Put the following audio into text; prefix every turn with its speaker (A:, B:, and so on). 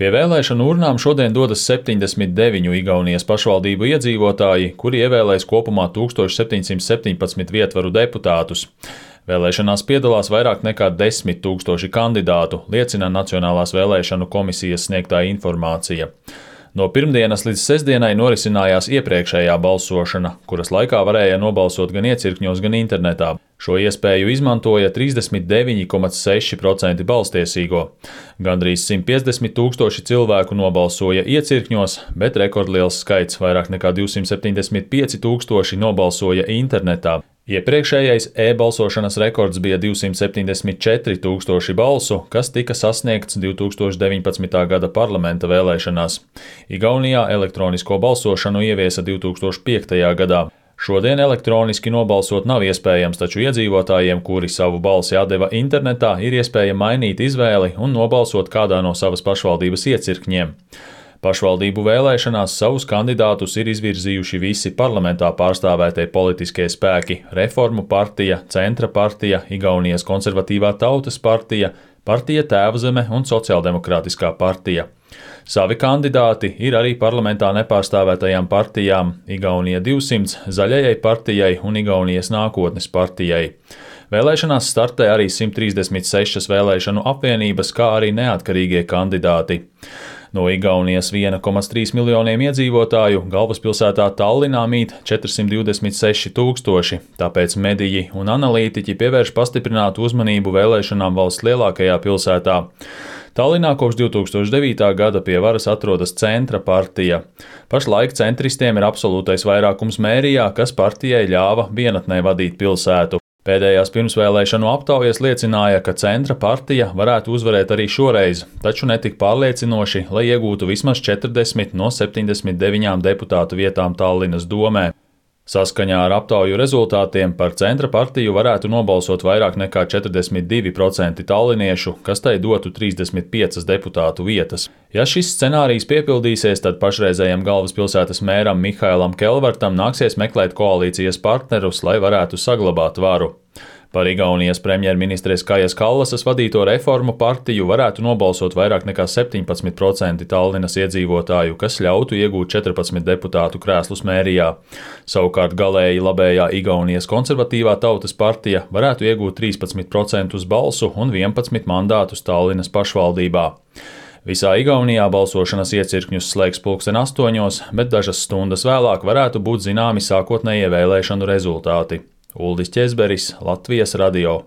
A: Pie vēlēšanu urnām šodien dodas 79 Igaunijas pašvaldību iedzīvotāji, kuri ievēlēs kopumā 1717 vietvaru deputātus. Vēlēšanās piedalās vairāk nekā 10 000 kandidātu, liecina Nacionālās vēlēšanu komisijas sniegtā informācija. No pirmdienas līdz sestdienai norisinājās iepriekšējā balsošana, kuras laikā varēja nobalsot gan iecirkņos, gan internetā. Šo iespēju izmantoja 39,6% balstiesīgo. Gandrīz 150 000 cilvēku nobalsoja iecirkņos, bet rekordliels skaits vairāk nekā 275 000 nobalsoja internetā. Iepriekšējais e-balsošanas rekords bija 274 000 balsu, kas tika sasniegts 2019. gada parlamenta vēlēšanās. Igaunijā elektronisko balsošanu ieviesa 2005. gadā. Šodien elektroniski nobalsot nav iespējams, taču iedzīvotājiem, kuri savu balsi atdeva internetā, ir iespēja mainīt izvēli un nobalsot kādā no savas pašvaldības iecirkņiem. Pašvaldību vēlēšanās savus kandidātus ir izvirzījuši visi parlamentā pārstāvētie politiskie spēki – Reformu partija, Centra partija, Igaunijas konservatīvā tautas partija, partija Tēvzeme un Sociāldemokrātiskā partija. Savi kandidāti ir arī parlamentā nepārstāvētajām partijām – Igaunija 200, Zaļajai partijai un Igaunijas nākotnes partijai. Vēlēšanās startē arī 136 vēlēšanu apvienības, kā arī neatkarīgie kandidāti. No Igaunijas 1,3 miljoniem iedzīvotāju galvaspilsētā Tallinā mīt 426 000, tāpēc mediji un analītiķi pievērš pastiprinātu uzmanību vēlēšanām valsts lielākajā pilsētā. Tallinā kopš 2009. gada pie varas atrodas Centra partija. Pašlaik centristiem ir absolūtais vairākums mērijā, kas partijai ļāva vienatnē vadīt pilsētu. Pēdējās pirmsvēlēšanu aptaujas liecināja, ka Centra partija varētu uzvarēt arī šoreiz, taču netik pārliecinoši, lai iegūtu vismaz 40 no 79 deputātu vietām Tallinas domē. Saskaņā ar aptauju rezultātiem par Centra partiju varētu nobalsot vairāk nekā 42% talliniešu, kas tai dotu 35 deputātu vietas. Ja šis scenārijs piepildīsies, tad pašreizējam galvaspilsētas mēram Mihailam Kelvartam nāksies meklēt koalīcijas partnerus, lai varētu saglabāt varu. Par Igaunijas premjerministres Kajas Kallasas vadīto Reformu partiju varētu nobalsot vairāk nekā 17% Tallinas iedzīvotāju, kas ļautu iegūt 14 deputātu krēslus mērijā. Savukārt galēji labējā Igaunijas konservatīvā tautas partija varētu iegūt 13% balsu un 11 mandātus Tallinas pašvaldībā. Visā Igaunijā balsošanas iecirkņus slēgs 8:00, bet dažas stundas vēlāk varētu būt zināmi sākotnējie vēlēšanu rezultāti. Uldis Ķezberis, Latvijas radio.